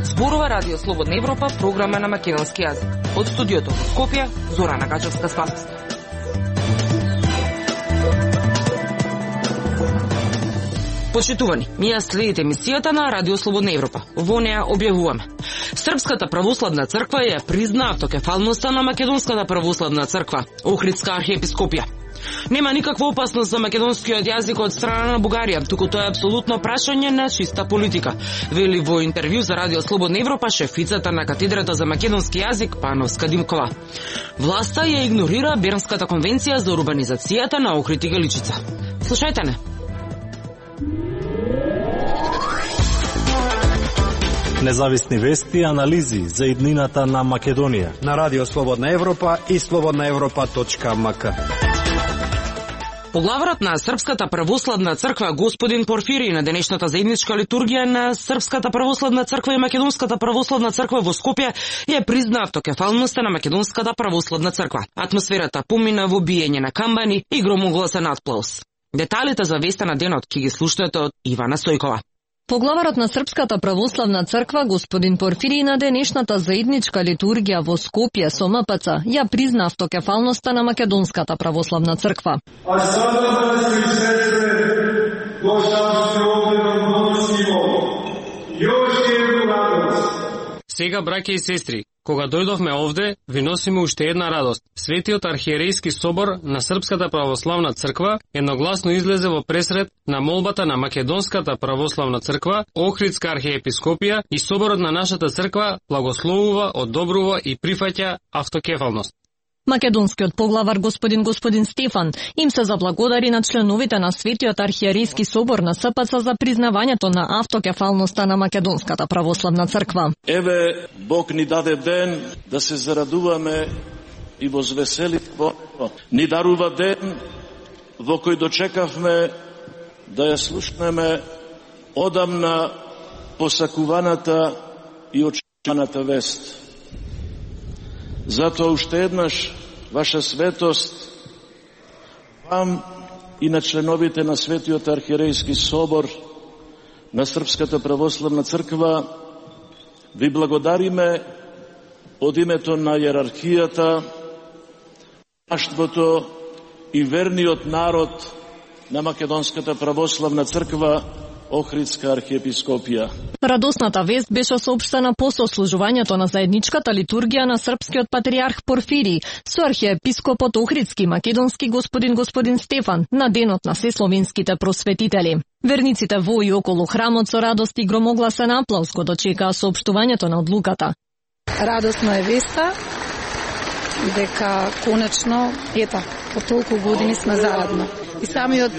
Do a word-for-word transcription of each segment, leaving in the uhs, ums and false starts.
Зборува Радио Слободна Европа, програма на македонски јазик. Од студиото во Скопје, Зорана Гаџевска-Спасовска. Почитувани, ние следите емисијата на Радио Слободна Европа. Во неа објавуваме: Српската православна црква ја призна автокефалноста на Македонската православна црква, Охридска архиепископија. Нема никаква опасност за македонскиот јазик од страна на Бугарија, туку тоа е апсолутно прашање на чиста политика, вели во интервју за Радио Слободна Европа шефицата на катедрата за македонски јазик Пановска Димкова. Власта ја игнорира Бернската конвенција за урбанизацијата на Охрид и Галичица. Слушајте не. Независни вести и анализи за иднината на Македонија на Радио Слободна Европа и слободна европа точка ем ка. Поглаварот на Српската православна црква господин Порфирий на денешната заедничка литургија на Српската православна црква и Македонската православна црква во Скопје ја призна автокефалноста на Македонската православна црква. Атмосферата помина во биење на камбани и громогласен атплаус. Деталите за веста на денот ќе ги слушнете од Ивана Сојкова. Поглаварот на Српската православна црква господин Порфирий на денешната заедничка литургија во Скопје со ем пе це ја призна автокефалноста на Македонската православна црква. А сада да се срце дошавте овде на Божјиво. Још е радост. Сега, браќа и сестри, кога дојдовме овде, ви носиме уште една радост. Светиот архиерейски собор на Српската православна црква едногласно излезе во пресред на молбата на Македонската православна црква, Охридска архиепископија и соборот на нашата црква благословува, одобрува и прифаќа автокефалност. Македонскиот поглавар господин господин Стефан им се заблагодари на членовите на Светиот архиерейски собор на ес пе це за признавањето на автокефалноста на Македонската православна црква. Еве, Бог ни даде ден да се зарадуваме и возвеселиме. Ни дарува ден во кој дочекавме да ја слушнеме одамна посакуваната и очекуваната вест. Затоа уште еднаш, ваша светост, вам и на членовите на Светиот архиерейски собор на Српската православна црква, ви благодариме од името на јерархијата, паштвото и верниот народ на Македонската православна црква, Охридска архиепископија. Радосната вест беше соопштена по сослужувањето на заедничката литургија на српскиот патриарх Порфирий со архиепископот Охридски македонски господин господин Стефан на денот на сесловенските просветители. Верниците во и околу храмот со радост и громогласен аплауз го дочекаа соопштувањето на одлуката. Радосна е веста дека конечно, ета, по толку години сме заедно. И самиот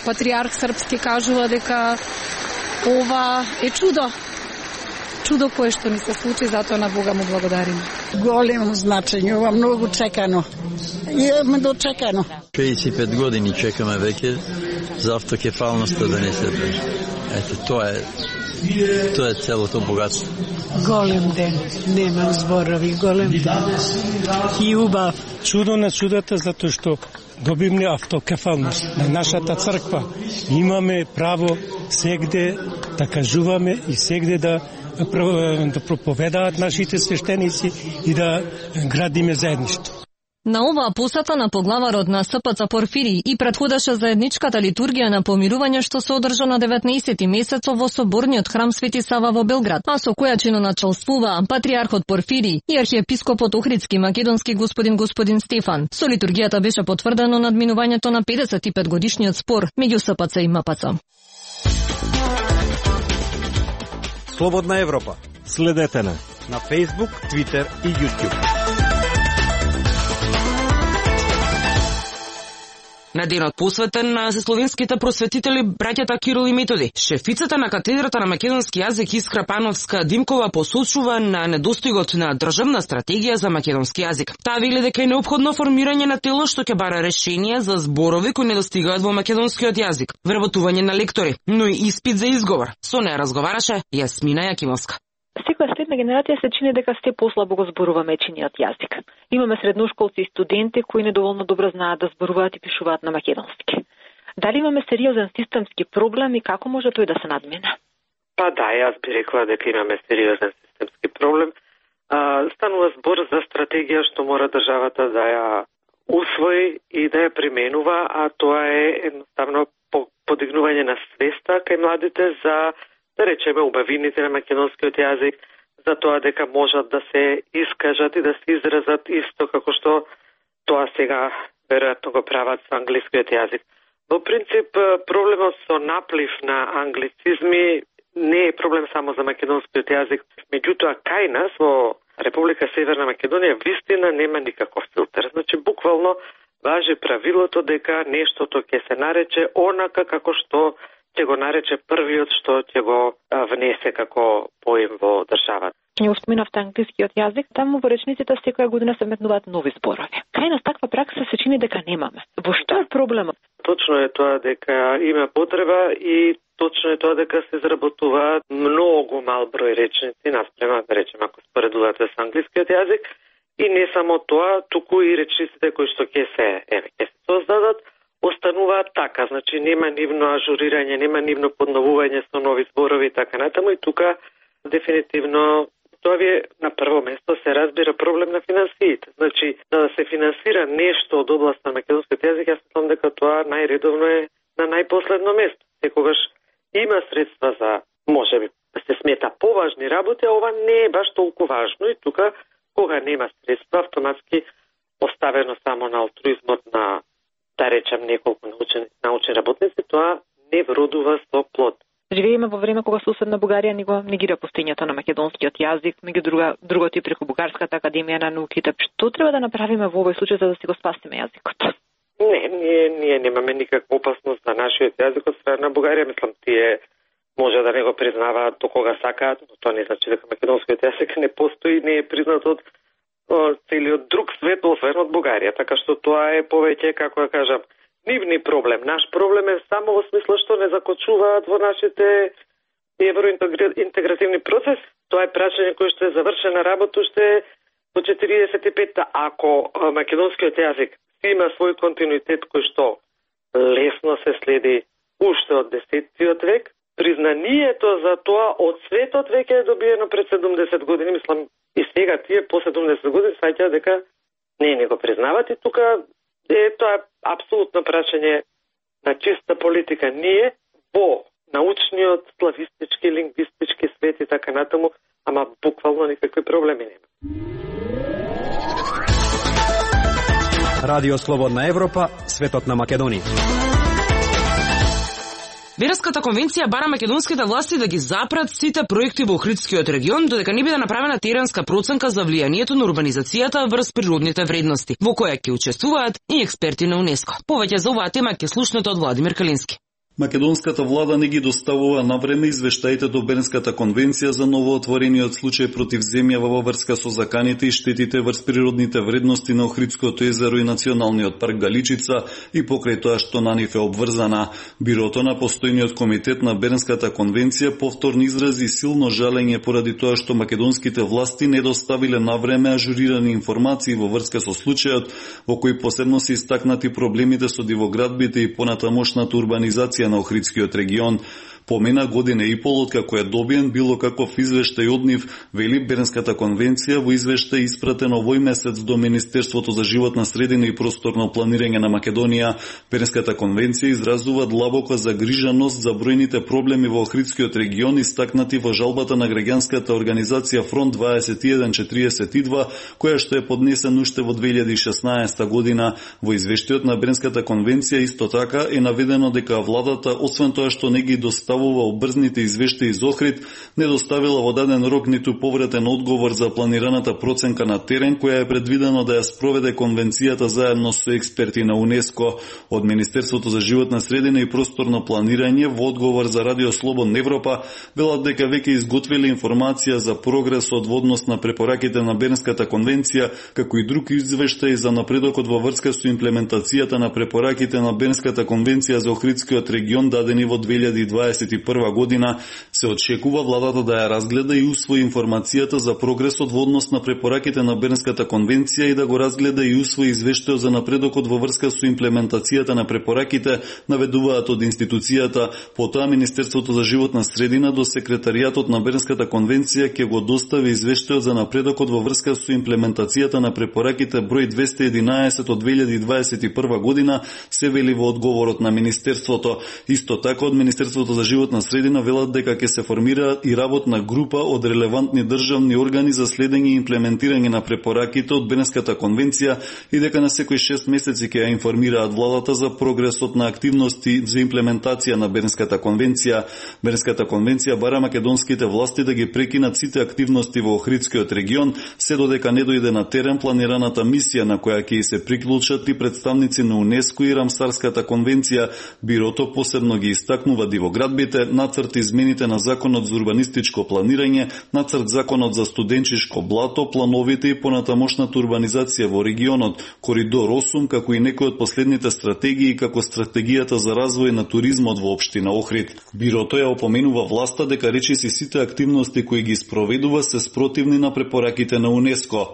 патриарх српски кажува дека ова е чудо. Чудо кое што ни се случи, затоа на Бога му благодариме. Големо значење, ова многу чекано. Имаме дочекано. педесет и пет години чекаме веќе за автокефалноста да не се прежи. Ето, тоа е тоа е целото богатство. Голем ден, немам зборови, голем ден. И убав. Чудо на чудата, затоа што добивме автокефалност на нашата црква. Имаме право сегде да кажуваме и сегде да да проповедаат нашите свештеници и да градиме заедништво. На оваа посета на поглаварот на ес пе це Порфирий и претходеше заедничката литургија на помирување што се одржа на деветнаесети месецов во соборниот храм Свети Сава во Белград, а со која чиноначалствуваа патриархот Порфирий и архиепископот Охридски македонски господин господин Стефан. Со литургијата беше потврдено надминувањето на педесет и пет годишниот спор меѓу ес пе це и ем пе це. Слободна Европа. Следете на на Facebook, Twitter и YouTube. На денот посветен на словенските просветители браќата Кирил и Методи, шефицата на катедрата на македонски јазик Искра Пановска Димкова посочува на недостигот на државна стратегија за македонски јазик. Таа вели дека е неопходно формирање на тело што ќе бара решенија за зборови кои недостигаат во македонскиот јазик, вработување на лектори, но и испит за изговор. Со неа разговараше Јасмина Јакимовска. Секоја на генерација се чини дека сте послабо го зборуваме чиниот јазик. Имаме средношколци и студенти кои недоволно добро знаат да зборуваат и пишуваат на македонски. Дали имаме сериозен системски проблем и како може тој да се надмине? Па да, јас би рекла дека имаме сериозен системски проблем. А, станува збор за стратегија што мора државата да ја усвои и да ја применува, а тоа е едноставно подигнување на свеста кај младите за, да речеме, убавините на македонскиот јазик, за тоа дека можат да се искажат и да се изразат исто како што тоа сега веројатно го прават со англискиот јазик. Во принцип, проблемот со наплив на англицизми не е проблем само за македонскиот јазик. Меѓутоа, кај нас во Република Северна Македонија вистина нема никаков филтер. Значи, буквално важи правилото дека нештото ќе се нарече онака како што ќе го нарече првиот што ќе го внесе како поим во државата. Ќе го споменавте англискиот јазик, таму во речниците секоја година се метнуваат нови зборови. Кај нас таква пракса се чини дека немаме. Во што е проблемот? Точно е тоа дека има потреба и точно е тоа дека се изработуваат многу мал број речници наспрема, да речеме, ако споредувате со англискиот јазик, и не само тоа, туку и речниците кои што ќе се, еве, ќе се создадат, остануваат така, значи нема нивно ажурирање, нема нивно подновување со нови зборови и така натаму, и тука дефинитивно тоа ви на прво место се разбира проблем на финансиите. Значи, да се финансира нешто од област на македонскиот јазик, јас мислам дека тоа најредовно е на најпоследно место. Секогаш има средства за, можеби, да се смета поважни работи, а ова не е баш толку важно и тука, кога нема средства, автоматски оставено само на алтруизмот на, да речем, неколку научени, научни работници, тоа не вродува со плод. Живееме во време кога соседна Бугарија ни го негира постоењето на македонскиот јазик, меѓу друга, другото и преку Бугарската академија на науките. Што треба да направиме во овој случај за да си го спасиме јазикот? Не, ние, ние немаме никаква опасност на нашиот јазик од страна на Бугарија. Мислам, тие може да не го признаваат до кога сакаат, но тоа не значи дека македонскиот јазик не постои, не е признат од о, целиот друг свет, освен од Бугарија. Така што тоа е повеќе, како да кажам, нивни проблем. Наш проблем е само во смисла што не закочуваат во нашите евроинтегративни процеси. Тоа е прашање кое што е завршена работа уште во четиридесет и петта. Ако македонскиот јазик има свој континуитет кој што лесно се следи уште од десеттиот век, признанието за тоа од светот веќе е добиено пред седумдесет години. Мислам, и сега тие по седумдесет години саќаат дека не не го признават и тука е тоа апсолутно прашање на чиста политика. Ние во научниот, славистички, лингвистички свет и така натаму, ама буквално никакви проблеми нема. Радио Слободна Европа, светот на Македонија. Береската конвенција бара македонските власти да ги запрат сите проекти во Охридскиот регион, додека не биде направена теренска проценка за влијанието на урбанизацијата врз природните вредности, во која ќе учествуваат и експерти на УНЕСКО. Повеќе за оваа тема ќе слушнете од Владимир Калински. Македонската влада не ги доставува на време извештаите до Бернската конвенција за новоотворениот случај против земја во врска со заканите и штетите врз природните вредности на Охридското езеро и Националниот парк Галичица и покрај тоа што на нив е обврзана. Бирото на постојниот комитет на Бернската конвенција повторно изрази силно жалење поради тоа што македонските власти не доставиле на време ажурирани информации во врска со случајот, во кој посебно се истакнати проблемите со дивоградбите и понатамошната урбанизација на Охридскиот регион. Помена година и пол откако е добиен било каков извештај од нив, вели Бернската конвенција во извештај испратен овој месец до Министерството за животна средина и просторно планирање на Македонија. Бернската конвенција изразува длабока загриженост за бројните проблеми во Охридскиот регион истакнати во жалбата на граѓанската организација Фронт дваесет и еден четириесет и два, која што е поднесен уште во две илјади и шеснаесета година. Во извештајот на Бернската конвенција исто така е наведено дека владата, освен тоа што не ги доставува обрзните извештаи из Охрид, не доставила во даден рок ниту повратен одговор за планираната проценка на терен, која е предвидено да ја спроведе конвенцијата заедно со експерти на УНЕСКО. Од Министерството за животна средина и просторно планирање во одговор за Радио Слободна Европа велат дека веќе изготвили информација за прогресот во однос на препораките на Бернската конвенција, како и друг извештај за напредокот во врска со имплементацијата на препораките на Бернската конвенција за Охридскиот регион дадени во две илјади и дваесет и прва година. Се очекува владата да ја разгледа и усвои информацијата за прогресот во однос на препораките на Бернската конвенција и да го разгледа и усвои извештајот за напредокот во врска со имплементацијата на препораките, наведуваат од институцијата. Потоа Министерството за животна средина до секретаријатот на Бернската конвенција ќе го достави извештајот за напредокот во врска со имплементацијата на препораките број двесте и единаесет од две илјади дваесет и прва година, се вели во одговорот на Министерството. Исто така од Министерството за животна средина велат дека ќе се формира и работна група од релевантни државни органи за следење и имплементирање на препораките од Бернската конвенција и дека на секои шест месеци ќе ја информираат владата за прогресот на активности за имплементација на Бернската конвенција. Бернската конвенција бара македонските власти да ги прекинат сите активности во Охридскиот регион, се додека не дојде на терен планираната мисија на која ќе се приклучат и представници на УНЕСКО и Рамсарската конвенција. Бирото посебно ги истакнува дивоградбите, нацрт измените на Законот за урбанистичко планирање, нацрт Законот за студенчишко блато, плановите и понатамошната урбанизација во регионот, Коридор осум, како и некои од последните стратегии, како стратегијата за развој на туризмот во општина Охрид. Бирото ја опоменува власта дека речиси сите активности кои ги спроведува се спротивни на препораките на УНЕСКО.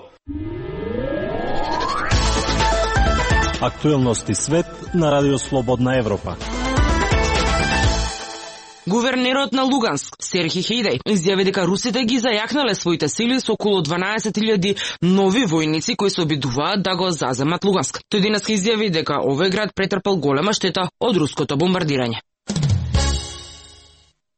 Актуелности свет на Радио Слободна Европа. Гувернерот на Луганск, Серхи Хејдеј, изјави дека русите ги зајакнале своите сили со околу дванаесет илјади нови војници кои се обидуваат да го заземат Луганск. Тој денес изјави дека овој град претрпел голема штета од руското бомбардирање.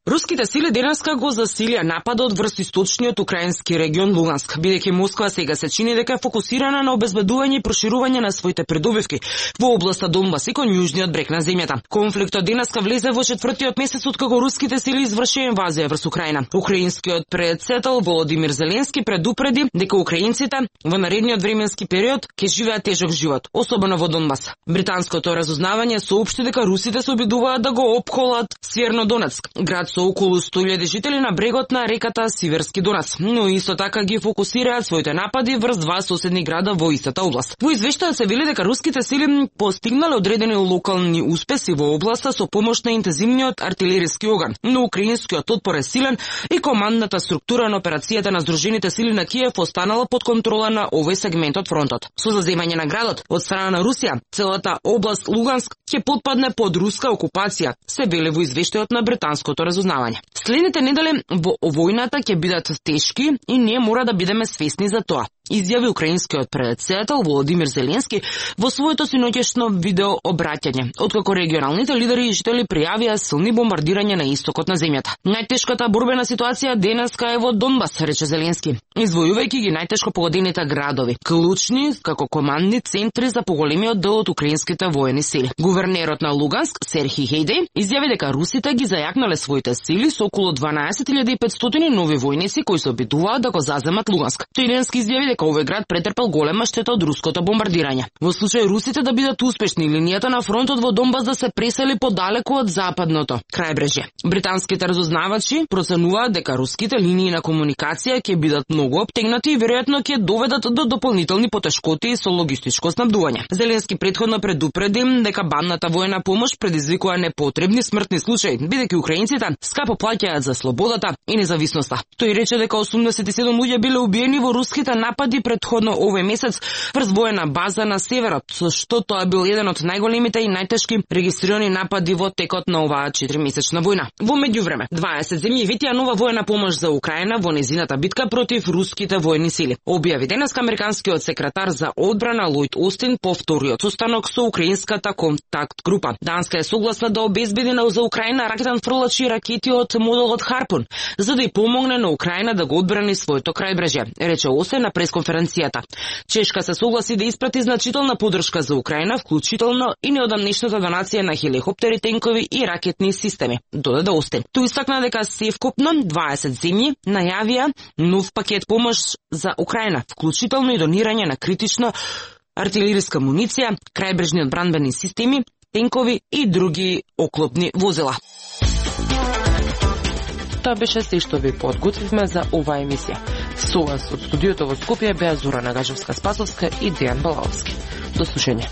Руските сили денеска го засилија нападот врз источниот украински регион Луганск, бидејќи Москва сега се чини дека е фокусирана на обезбедување и проширување на своите придобивки во областа Донбас и кон јужниот брег на земјата. Конфликтот денеска влезе во четвртиот месец откако руските сили извршија инвазија врз Украина. Украинскиот председател Володимир Зеленски предупреди дека украинците во наредниот временски период ќе живеат тежок живот, особено во Донбас. Британското разузнавање соопшти дека русите се обидуваат да го опколат Севернодонецк, град со околу сто илјади жители на брегот на реката Сиверски Донец, но исто така ги фокусираат своите напади врз два соседни града во истата област. Во извештајот се вели дека руските сили постигнале одредени локални успеси во областа со помош на интензивниот артилериски оган, но украинскиот отпор е силен и командната структура на операцијата на Сдружените сили на Киев останала под контрола на овој сегмент од фронтот. Со заземање на градот од страна на Русија, целата област Луганск ќе потпадне под руска окупација, се вели во извештајот на британското разузнавање. Следните недели во војната ќе бидат тешки и ние мора да бидеме свесни за тоа, изјави украинскиот председател Володимир Зеленски во своето синоќешно видео обраќање, откако регионалните лидери и жители пријавија силни бомбардирања на истокот на земјата. Најтешката борбена ситуација денеска е во Донбас, рече Зеленски, извојувајќи ги најтешко погодените градови, клучни како командни центри за поголемиот дел од украинските воени сили. Гувернерот на Луганск, Серхи Хејдеј, изјави дека русите ги зајакнале своите сили со околу дванаесет илјади и петстотини нови војници кои се обидуваат да го заземат Луганск. Тој денеска изјави дека овој град претрпел голема штета од руското бомбардирање. Во случај русите да бидат успешни, линијата на фронтот во Донбас да се пресели подалеку од западното крајбрежје. Британските разузнавачи проценуваат дека руските линии на комуникација ќе бидат многу обтегнати и веројатно ќе доведат до дополнителни потешкоти со логистичко снабдување. Зеленски претходно предупреди дека бандната воена помош предизвикува непотребни смртни случаи, бидејќи украинците скапо плаќаат за слободата и независноста. Тој рече дека осумдесет и седум луѓе биле убиени во руските напади предходно овој месец врз воена база на северот, со што тоа бил еден од најголемите и најтешки регистрирани напади во текот на оваа четиримесечна војна. Во меѓувреме, дваесет земји ветија нова воена помош за Украина во незината битка против руските воени сили. Објави денеска американскиот секретар за одбрана Лојд Остин по вториот состанок со украинската контакт група. Данска е согласна да обезбеди за Украина ракетен фрлачи ракети од моделот Харпун, за да ја помогне на Украина да го одбрани своето крајбрежје, рече Остин на пресконференцијата. Чешка се согласи да испрати значителна поддршка за Украина, вклучително и неодамнешната донација на хеликоптери, тенкови и ракетни системи, додаде Остин. Тој истакна дека севкупно дваесет земји најавија нов пакет помош за Украина, вклучително и донирање на критична артилериска муниција, крајбрежни одбранбени системи, тенкови и други оклопни возила. Тоа беше се што ви подготвивме за оваа емисија. Со вас од студиото во Скопје беа Зора Нагажевска-Спасовска и Дејан Балаовски. До слушање.